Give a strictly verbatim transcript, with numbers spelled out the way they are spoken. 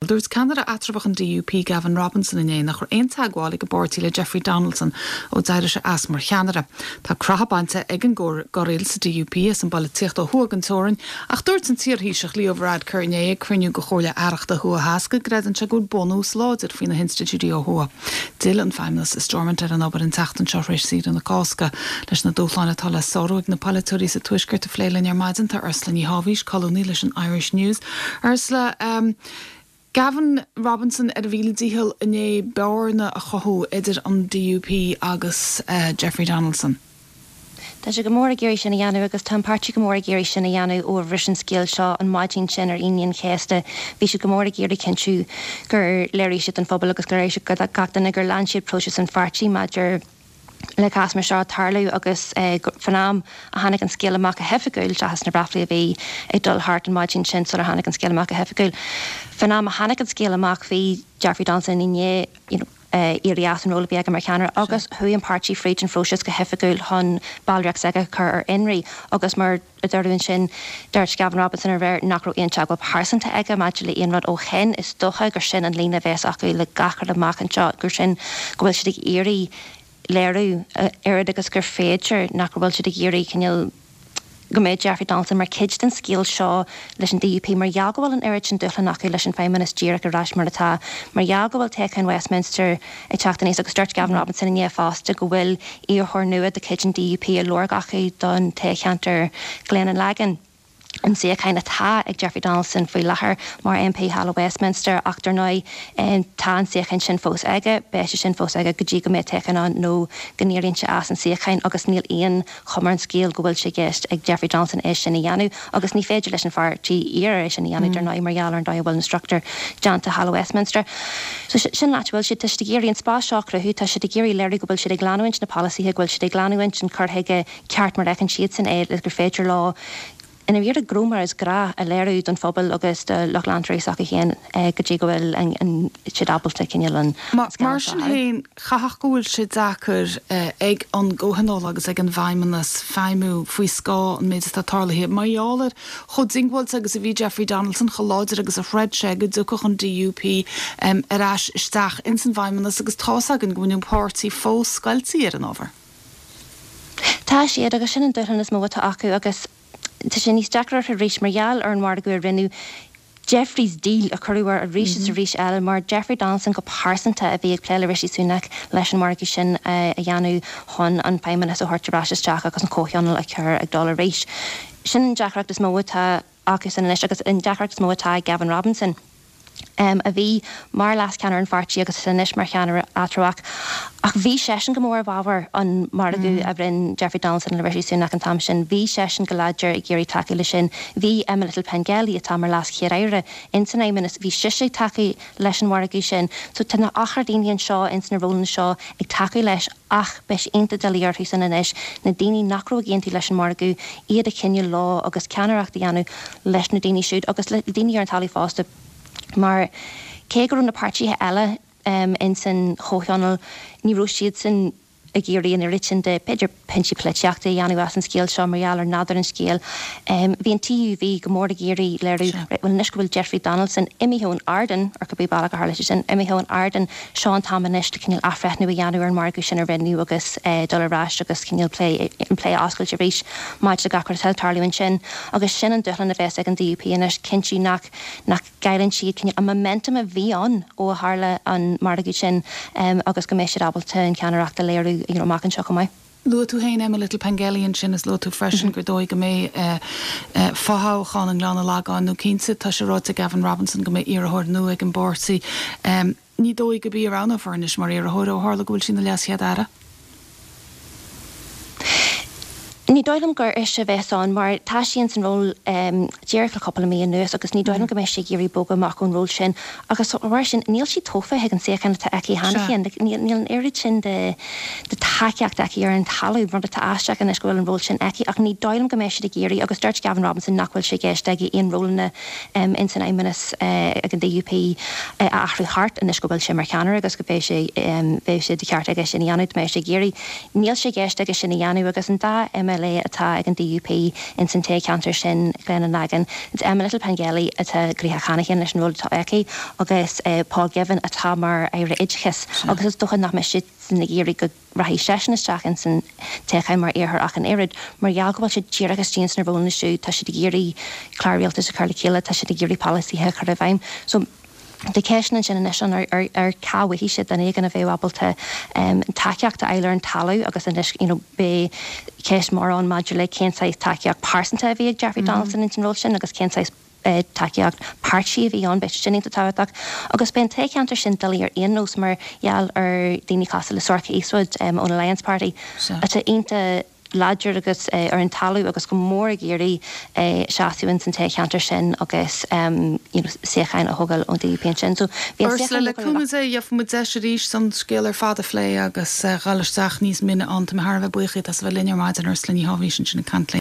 Dúirt ceannaire eatramhach an DUP Gavin Robinson inné nach raibh aon teagmháil ag an bpáirtí le Jeffrey Donaldson ó d'éirigh sé as mar cheannaire. Tá croitheadh bainte ag an gcorraíl sa DUP as an bpolaitíocht ó thuaidh den teorainn, ach dúirt an t-iarThaoiseach Leo Varadkar inné ag cruinniú de Chomhairle Aireachta Thuaidh Theas go gcreideann sé go bhfuil bunús láidir faoi na hinstitiúidí ó thuaidh. D'fhill an Feidhmeannas i Stormont ar an obair an tseachtain seo tar éis saoire na Cásca leis na dúshláin atá le sárú ag na polaiteoirí sa tuaisceart a phlé linn ar maidin tá Ursula Ní Tháibhís, colúnaí leis an Irish News. Ursula um, Gavin Robinson ar a mhíle dícheall inné bearna a chothú idir an DUP agus uh, Jeffrey Donaldson. Tá sé go mór ag iarraidh sin a dhéanamh agus tá an páirtí go mór ag iarraidh sin a dhéanamh ó bhris an scéal seo an maidin sin ar Aoine an Chéasta. Bhí siad go mór ag iarraidh cinntiú gur léirigh siad don phobal agus gur léirigh siad gach duine gur lean siad próiseas an pháirtí maidir le cás mar seo tarlú agus eh, fan am a tháinig an scéal amach go hoifigiúil seachas na braflaí a bhí ag dul thart an maidin sin sular tháinig an scéal amach go hoifigiúil. Fan am a tháinig an scéal amach bhí Jeffrey Donaldson inné you know, uh, éirí as an ról a bhí aige mar cheannaire agus chuaigh an páirtí fríd an phróiseas go hoifigiúil chun ballraíocht s'aige chur ar fionraí agus mar a dúradh sin dúirt Gavin Robinson aréir nach raibh aon teagmháil pearsanta aige maidir le aon rud ó shin is dócha gur sin an líne a bheas acu le gach rud amach anseo gur sin go bhfuil siad ag iarraidh léiriú oiread agus gur féidir nach bhfuil siad ag iarraidh cineál go mbeidh Jeffrey Donaldson mar chuid den scéal seo leis an DUP mar gheall go bhfuil an oiread sin dúshlán acu leis an Feidhmeannas díreach ar ais mar atá mar gheall go bhfuil toghchán Westminster ag teacht aníos agus dúirt Gavin Robinson inné fosta go bhfuil iarrthóir nua de chuid an DUP á lorg acu don toghcheantar Glen an Lagan. an suíochán atá ag Jeffrey Donaldson faoi láthair mar MP thall i Westminster ach dar ndóigh tá an suíochán sin fós aige, beidh sé sin fós aige go dtí go mbeidh toghchán ann nó go n-éiríonn sé as an suíochán agus níl aon chuma ar an scéal go bhfuil sé i gceist ag Jeffrey Donaldson é sin a dhéanamh agus ní féidir leis an pháirtí iarraidh é sin a dhéanamh dar ndóigh mar gheall ar an dóigh a bhfuil na struchtúir déanta thall i Westminster. So sin leat bhfuil siad tá siad ag iarraidh an spás seo a chruthú, tá siad ag iarraidh léiriú go bhfuil siad ag leanúint na polasaithe, go bhfuil siad ag leanúint an cur chuige ceart mar a fheiceann siadsan é le gur féidir leo ina bhíar gró mar is gra a léiriú don phobal agus do lucht leantóirí s'acu féin go dtí go bhfuil siad ábalta cineál an Mar sin féin caithfidh go bhfuil sé deacair ag an gComhthionól agus ag an bhFeidhmeannas feidhmiú faoi scáth an méid atá tarlaithe. Mar gheall ar chomh diongbháilte agus a bhí Jeffrey Donaldson chomh láidir agus a chreid sé go dtiocfadh an DUP ar ais isteach ins an bhFeidhmeannas agus tá againn go bhfuil an páirtí fós scoilte ar an ábhar. Tá siad agus sin an dúshlán is mó atá acu agus tá sé níos deacra arís mar gheall ar an margadh a rinneadh Jeffrey's deal a cuireadh air arís is arís eile mar Jeffrey Donaldson go pearsanta a bhí ag plé le Rishi Sunak leis an margadh sin a dhéanamh chun an Feidhmeannas a thabhairt ar ais isteach agus an Comhthionól a chur ag dul arís. Sin an deacracht is mó atá acu san anois agus an deacracht is mó atá ag Gavin Robinson. Um, a bhí mar leascheannaire an pháirtí agus anois mar cheannaire eatramhach. Ach bhí seisean go mór i bhfabhar an margadh mm. a rinne Jeffrey Donaldson le Rishi Sunak an t-am sin, bhí seisean go láidir ag iarraidh tacú le sin, bhí Emma Little Pengelly atá mar leas-chéad-aire in san Fheidhmeannas, bhí sise ag tacú leis an margadh sin, so tá na achar daoine anseo ins na rólanna seo ag tacú leis ach beidh sé iontach doiligh orthu san anois na daoine nach raibh ag aontú leis an margadh iad a choinneáil leo agus ceannaireacht a dhéanamh leis na daoine siúd agus le daoine ar an talamh fosta mar cé go raibh na páirtithe eile um, in san chomhthionól ní raibh siad san ag iarraidh an oiread sin de b'fhéidir pointí polaitíochta a dhéanamh as an scéal seo mar gheall ar nádúr an scéil. Um, bhí an TUV go mór ag iarraidh léiriú bhuel anois go bhfuil Jeffrey Donaldson imithe ón ardán ar cibé bealach a tharla sé sin imithe ón ardán seo an t-am anois le cineál athbhreithniú a dhéanamh ar an margadh sin a rinneadh agus uh, dul ar ais agus cineál plé an plé oscailt arís maidir le gach rud atá ag tarlú ansin agus sin an dúshlán a bheas ag an DUP anois cinntiú nach nach gcailleann siad cineál an momentum a bhí ann ó a tharla an margadh sin um, agus go mbeidh siad ábalta an ceannaireacht a léiriú you know, amach anseo chomh maith. Luaigh tú féin Emma Little Pengelly ansin is luaigh tú freisin gur dóigh go mbeidh fothoghchán i nGleann an Lagáin nó cinnte tá sé ráite Gavin Robinson go mbeidh iarrthóir nua ag an bpáirtí. Um, ní dóigh go bí roghnófar anois mar iarrthóir ó tharla go bhfuil sí ina leaschéad-aire. Ní dóigh liom gur ise a bheas ann mar tá sí in san ról um, díreach le cúpla mí anuas agus ní dóigh liom go mbeidh sí ag iarraidh bogadh amach ón ról sin agus mar sin níl sí tofa ag an suíochán atá aici cheana féin níl níl an oiread sin de de tacaíocht aici ar an talamh rud atá aisteach anois go bhfuil an ról sin aici ach ní dóigh liom go mbeidh siad ag iarraidh agus dúirt Gavin Robinson nach bhfuil sé i gceist aige aon rólanna um, in san fheidhmeannas uh, ag an DUP uh, a athrú thart anois go bhfuil sé mar cheannaire agus go mbeidh sé um, beidh sé de cheart aige sin a dhéanamh mbeidh sé ag iarraidh. Níl sé i gceist aige sin a dhéanamh agus an dá MLA M L A atá ag an D U P ins an toghcheantar sin, Gleann an Lagain. Is Emma Little-Pengelly atá gnoitheach cheana féin leis an ról atá aici agus Paul Givan atá mar Aire Oideachais agus is dócha nach mbeidh siadsan ag iarraidh go rachaidh seisean isteach ins an toghchán mar iarrthóir ach an oiread, mar gheall go bhfuil siad díreach istigh ins na rólanna siúd, tá siad ag iarraidh clár rialtais a chur le chéile, tá siad ag iarraidh polasaithe a chur i bhfeidhm. So tá ceisteanna ansin anois an ar ar ar cá bhfaighidh siad duine éigin a bheadh ábalta tacaíocht a fháil ar an talamh agus anois you know beidh ceist mór ann maidir le cén saghas tacaíocht pearsanta a bhí ag Jeffrey Donaldson ins an ról sin agus cén saghas tacaíocht páirtí a bhí ann. Beidh sin iontach tábhachtach agus beidh an toghcheantar sin doiligh ar aon nós mar gheall ar daoine cosúil le Sorcha Eastwood ón Alliance Party atá iontach láidir agus ar an talamh agus go mór ag iarraidh seasamh ins an toghcheantar sin agus you know suíocháin a thógáil ón D U P ansin. So bhí an Ursula, le cúnamh Dé, gheobhaidh muid deis arís an scéal ar fad a phlé agus dhul isteach níos mine ann. Tá mé thar a bheith buíoch díot as a bheith linn ar maidin. Ursula Ní Shábhaois ansin ag caint linn.